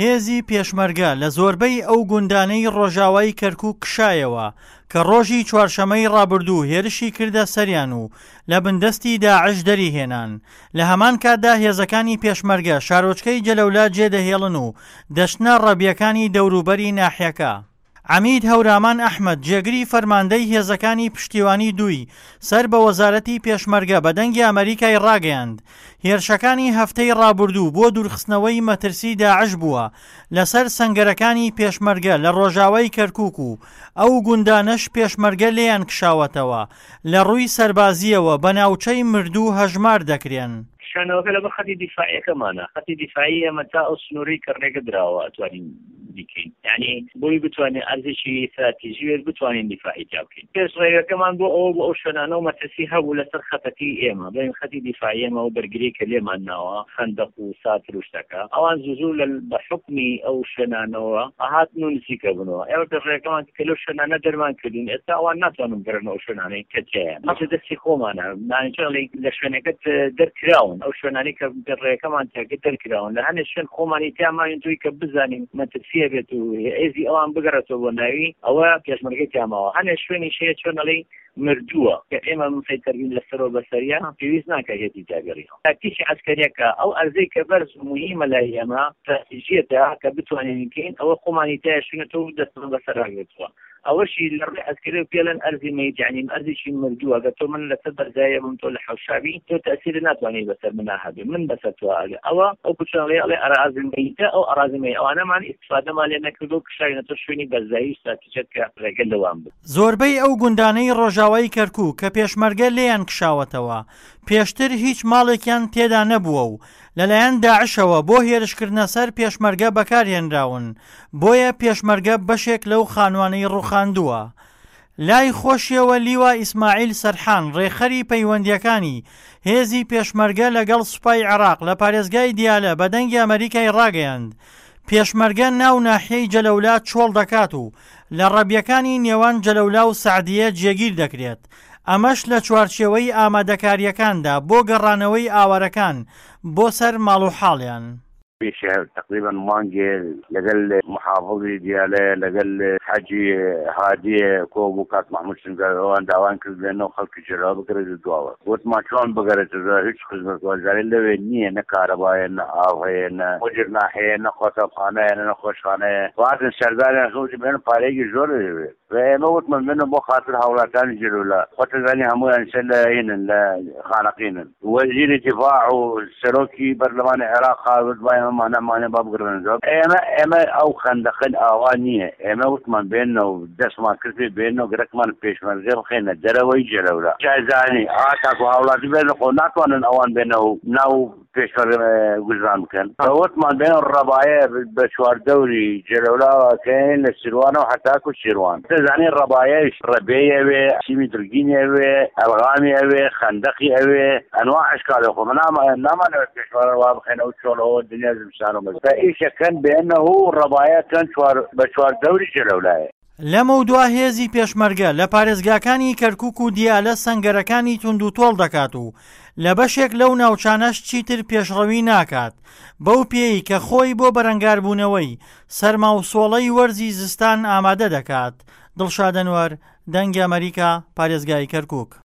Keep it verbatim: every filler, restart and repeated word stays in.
هێزی پێشمەرگە لە زۆربەی ئەو گوندانەی ڕۆژاوای کەرکوک کشایەوە کە ڕۆژی چوارشەمەی ڕابردوو هێرشی کردە سەریان و لە بندەستی داعش دەریهێنان. لە هەمان کاتدا هێزەکانی پێشمەرگە شارۆچکەی جەلەولا جێدەهێڵن و دەچنە ڕەبیەکانی دەوروبەری ناحیەکە. عەمید هەورامان ئەحمەد جێگری فەرماندەی هێزەکانی پشتیوانی دووی سەر بە وەزارەتی پێشمەرگە بە دەنگی ئەمەریکای ڕاگەیاند هێرشەکانی هەفتەی ڕابردوو بۆ دوورخستنەوەی مەترسی داعش بووە لەسەر سەنگەرەکانی پێشمەرگە لە ڕۆژاوای کەرکوک و ئەو گوندانەش پێشمەرگە لێیان کشاوەتەوە لە ڕووی سەربازییەوە بە ناوچەی مردوو هەژمار دەکرێن. کشانەوەکە لەبەر خەتی دیفاعیەکەمانە، خەتی دیفاعی ئێمە تا ئەو سنووری کە ڕێگە دراوە ئەتوانین بیکەین، یعنی بۆی بتوانین ئەرزێکی استراتیژی بێت بتوانین دیفاعی تیا بکەین. پێش ڕێگەکەمان بۆ ئەوە بۆ ئەو شوێنانە و مەترسی هەبوو لەسەر خەتەکەی ئێمە، بڵێن خەتی دیفاعی ئێمە و بەرگری کە لێمان ناوە خەندەق و ساتر و شتەکە، ئەوان زوو زوو لە بە حوکمی ئەو شوێنانەوە هاتن و نزیکە بوونەوە. ئێمە پێش ڕێگەکەمان کە لەو شوێنانە دەرمان کردین، ئێستا ئەوان ناتوانن بگەڕێنەوە ئەو شوێنانەی کە تیایە، مەسە دەستی خۆمانە، لە شوێنەکەت دەرکراون، ئەو شوێنانەی کە ڕێگەکەمان تیاکە دەرکراون، لە هەنێ شوێن خۆمانی تیاماین توی کە بزانین مەترسیە بێت و هێزی ئەوان بگەڕێتەوە بۆ ناوی ئەوە پێشمەرگەی تیاماوە. هەنێ شوێنیش هەیە چۆن ئەڵێی مردووە کە ئێمە مسەیتەربین لەسەرەوە بەسەریە، پێویست ناکە هێزی تیاگەڕینەوە. تاکتیکی عەسکەریەکە ئەو ئەرزەی کە بەرز و مهمە لای ئێمە استراتیژیەتە کە بتوانین بکەین، ئەوە خۆمانی تیا شوێنێتەوە و دەستمان بەسەر ڕاگرتووە. ئەوەشی لە ڕووی عەسکەری و پێڵێن ئەرزی مەیت، یعنی ئەرزێکی مردووە. ئەگەر تۆ من لەسەر بەرزایە بم، تۆ لە حەوشابی، تۆ تەئسیر ناتوانانی بەسەر منا هەبێ، من بەسەر تۆ ئەگە ئەوە ئەو کوچەڵێ ئەڵێ ئەرازی مەیتە، ئەو ئەرازی مەیت ئەوانەمان ئیستفادەمان لێ نەکردو کشاوینەتە شوێنی بەرزایی استراتیژیەت کە ڕێگە لەوان بوو. زۆربەی ئەو گوندانەی ڕۆژاوای کەرکوک کە پێشمەرگە لێیان کشاوەتەوە پێشتر هیچ ماڵێکیان تێدا نەبووە و لەلایەن داعشەوە بۆ هێرشکردنە سەر پێشمەرگە بەکارهێنراون، بۆیە پێشمەرگە بەشێک لەو خانوانەی ڕوخاندووە. لای خۆشیەوە لیوا ئیسماعیل سەرحان ڕێکخەری پەیوەندیەکانی هێزی پێشمەرگە لەگەڵ سوپای عێراق لە پارێزگای دیالە بە دەنگی ئەمەریکای ڕاگەیاند پێشمەرگە ناو ناحیەی جەلەولا چۆڵ دەکات و لە ڕەبیەکانی نێوان جەلەولا و سەعدیە جێگیر دەکرێت، ئەمەش لە چوارچێوەی ئامادەکاریەکاندا بۆ گەڕانەوەی ئاوارەکان بۆ سەر ماڵ و حاڵیان. پێش تقریبا مانگێ لەگەڵ محافظی دیالە لەگەڵ حاجی هادیە کۆبوو کاک محمود سنگار، ئەوان داوان کرد بێنەوە خەڵکی جەلاوە بگەڕێتە دواوە. وتمان چۆن بگەڕێتە، هیچ خزمەتگوزاری لەوێ نییە، نە کارەبایە، نە ئاو هەیە، نە مجرنا هەیە، نە قوتابخانە هەیە، نە نەخۆشخانە هەیە. هاتن سەرداریان وتی بێنە پارەیەکی زۆر دەوێت. و ئێمە وتمان بێنە بۆ خاطر هاوڵاتانی جەلەولا، خۆتەزانی هەموویان سەر لە هینن لە خانەقینن. وەزیری دیفاع و سەرۆکی پەرلەمانی عێراق هاوت با ئێمە مانەمانە با بگرنەوە. ئێمە ئێمە ئەو خەندەقن ئاوا نییە. ئێمە وتمان بێنەوە دەستمان کرد بێنەوە گەرەکمان پێشمەرگە بخەینە دەرەوەی جەلەولا. جایزانی ئاتاکو هاوڵاتی بێنە خۆ ناتوانن ئەوان بێنەوە ناو پێشمەرگە گوزران بکەن. وتمان بێن ڕەبایە بە چوار دەوری جەلەولاوەکەین لە سیروانەوە حتاکو سیروان. دەزانی ڕەبایەش ڕەبێی ئەوێ، سیمی درگینی ئەوێ، ئەلغامی ئەوێ، خەندەقی ئەوێ، ئەنواع ئەشکالی خۆ. نامانەوێت پێشمەرگە وا بخەینەوە چۆڵەوە دنیا زمستان و مەزن. ئیشەکەن بێنەوە ڕەبایەکەن بە چوار دەوری جەلەولایە. لەمەودوا هێزی پێشمەرگە لە پارێزگاکانی کەرکوک و دیالە سەنگەرەکانی توند و تۆڵ دەکات و لە بەشێک لەو ناوچانەش چیتر پێشڕەوی ناکات، بەو پێی کە خۆی بۆ بەرەنگاربوونەوەی سەرما و سۆڵەی وەرزی زستان ئامادە دەکات. دڵشاد ئەنوەر، دەنگی ئەمەریکا، پارێزگای کەرکوک.